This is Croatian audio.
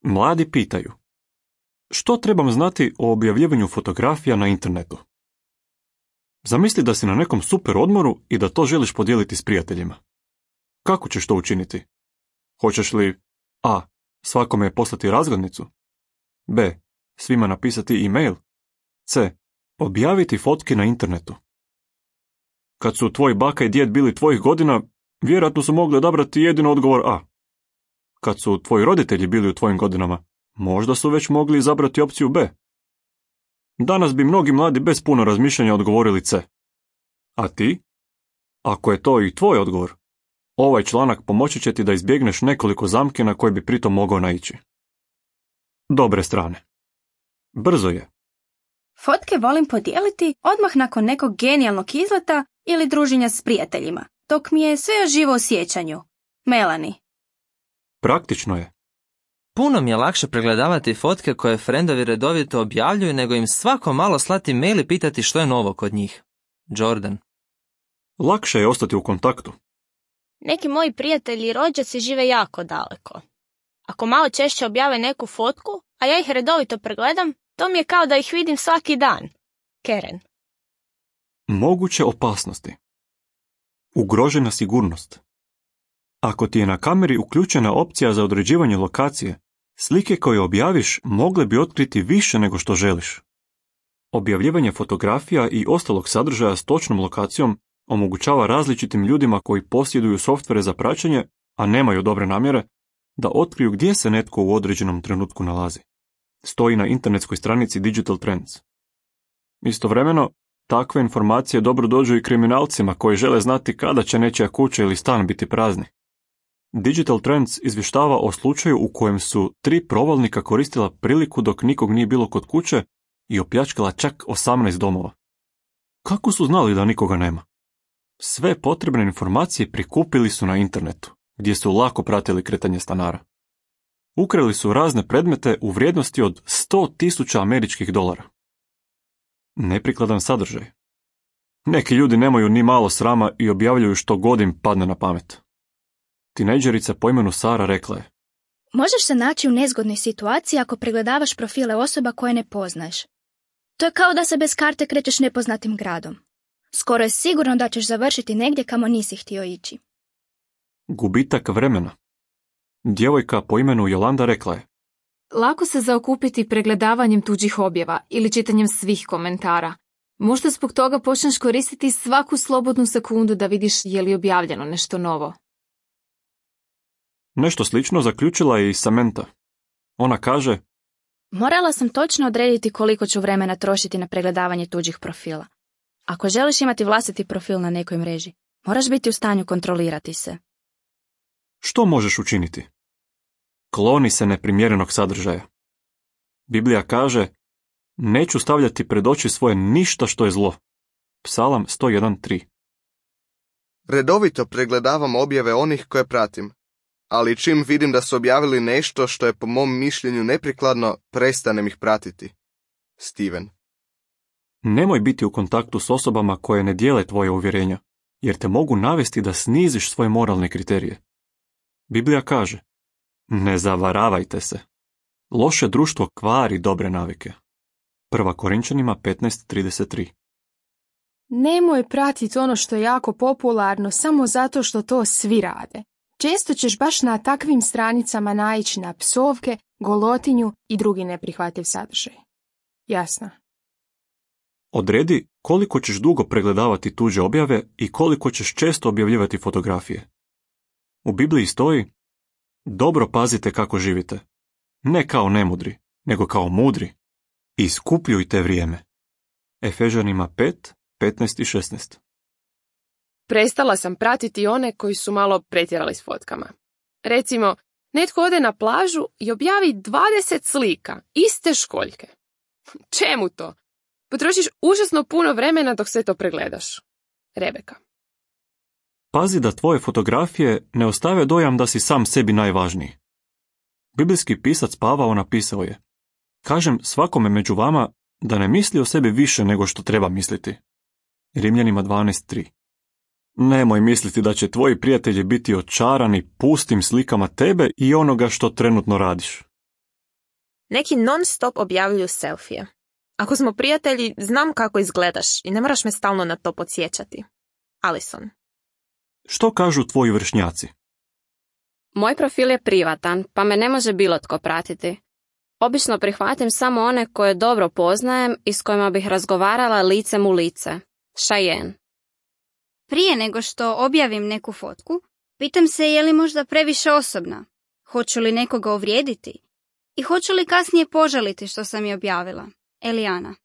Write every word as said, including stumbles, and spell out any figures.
Mladi pitaju: što trebam znati o objavljivanju fotografija na internetu? Zamisli da si na nekom super odmoru i da to želiš podijeliti s prijateljima. Kako ćeš to učiniti? Hoćeš li a. svakome poslati razglednicu, b. svima napisati e-mail, c. objaviti fotke na internetu? Kad su tvoji baka i djed bili tvojih godina, vjerojatno su mogli odabrati jedino odgovor a. Kad su tvoji roditelji bili u tvojim godinama, možda su već mogli izabrati opciju b. Danas bi mnogi mladi bez puno razmišljanja odgovorili c. A ti? Ako je to i tvoj odgovor, ovaj članak pomoći će ti da izbjegneš nekoliko zamki na koje bi pritom mogao naići. Dobre strane. Brzo je. Fotke volim podijeliti odmah nakon nekog genijalnog izleta ili druženja s prijateljima, dok mi je sve još živo u sjećanju. Melanie. Praktično je. Puno mi je lakše pregledavati fotke koje frendovi redovito objavljuju nego im svako malo slati mail i pitati što je novo kod njih. Jordan. Lakše je ostati u kontaktu. Neki moji prijatelji i rođaci žive jako daleko. Ako malo češće objave neku fotku, a ja ih redovito pregledam, to mi je kao da ih vidim svaki dan. Karen. Moguće opasnosti. Ugrožena sigurnost. Ako ti je na kameri uključena opcija za određivanje lokacije, slike koje objaviš mogle bi otkriti više nego što želiš. Objavljivanje fotografija i ostalog sadržaja s točnom lokacijom omogućava različitim ljudima koji posjeduju softvere za praćenje, a nemaju dobre namjere, da otkriju gdje se netko u određenom trenutku nalazi. Stoji na internetskoj stranici Digital Trends. Istovremeno, takve informacije dobro dođu i kriminalcima koji žele znati kada će nečija kuća ili stan biti prazni. Digital Trends izvještava o slučaju u kojem su tri provalnika koristila priliku dok nikog nije bilo kod kuće i opljačkala čak osamnaest domova. Kako su znali da nikoga nema? Sve potrebne informacije prikupili su na internetu, gdje su lako pratili kretanje stanara. Ukrali su razne predmete u vrijednosti od sto tisuća američkih dolara. Neprikladan sadržaj. Neki ljudi nemaju ni malo srama i objavljuju što god im padne na pamet. Tinejdžerica po imenu Sara rekla je: možeš se naći u nezgodnoj situaciji ako pregledavaš profile osoba koje ne poznaješ. To je kao da se bez karte krećeš nepoznatim gradom. Skoro je sigurno da ćeš završiti negdje kamo nisi htio ići. Gubitak vremena. Djevojka po imenu Jolanda rekla je: lako se zaokupiti pregledavanjem tuđih objava ili čitanjem svih komentara. Možda zbog toga počneš koristiti svaku slobodnu sekundu da vidiš je li objavljeno nešto novo. Nešto slično zaključila je i Samantha. Ona kaže: morala sam točno odrediti koliko ću vremena trošiti na pregledavanje tuđih profila. Ako želiš imati vlastiti profil na nekoj mreži, moraš biti u stanju kontrolirati se. Što možeš učiniti? Kloni se neprimjerenog sadržaja. Biblija kaže: neću stavljati pred oči svoje ništa što je zlo. Psalam sto jedan tri. Redovito pregledavam objave onih koje pratim, ali čim vidim da su objavili nešto što je po mom mišljenju neprikladno, prestanem ih pratiti. Steven. Nemoj biti u kontaktu s osobama koje ne dijele tvoje uvjerenja, jer te mogu navesti da sniziš svoje moralne kriterije. Biblija kaže: ne zavaravajte se. Loše društvo kvari dobre navike. Prva Korinčanima petnaest trideset tri. Nemoj pratiti ono što je jako popularno samo zato što to svi rade. Često ćeš baš na takvim stranicama naići na psovke, golotinju i drugi neprihvatljiv sadržaj. Jasno. Odredi koliko ćeš dugo pregledavati tuđe objave i koliko ćeš često objavljivati fotografije. U Bibliji stoji: dobro pazite kako živite. Ne kao nemudri, nego kao mudri. Iskupljujte vrijeme. Efežanima pet, petnaest i šesnaest. Prestala sam pratiti one koji su malo pretjerali s fotkama. Recimo, netko ode na plažu i objavi dvadeset slika, iste školjke. Čemu to? Potrošiš užasno puno vremena dok sve to pregledaš. Rebeka. Pazi da tvoje fotografije ne ostave dojam da si sam sebi najvažniji. Biblijski pisac Pavao napisao je: kažem svakome među vama da ne misli o sebi više nego što treba misliti. Rimljanima dvanaest tri. Nemoj misliti da će tvoji prijatelji biti očarani pustim slikama tebe i onoga što trenutno radiš. Neki non stop objavljuju selfije. Ako smo prijatelji, znam kako izgledaš i ne moraš me stalno na to podsjećati. Alison. Što kažu tvoji vršnjaci? Moj profil je privatan, pa me ne može bilo tko pratiti. Obično prihvatim samo one koje dobro poznajem i s kojima bih razgovarala licem u lice. Cheyenne. Prije nego što objavim neku fotku, pitam se je li možda previše osobna, hoću li nekoga uvrijediti i hoću li kasnije požaliti što sam je objavila. Elijana.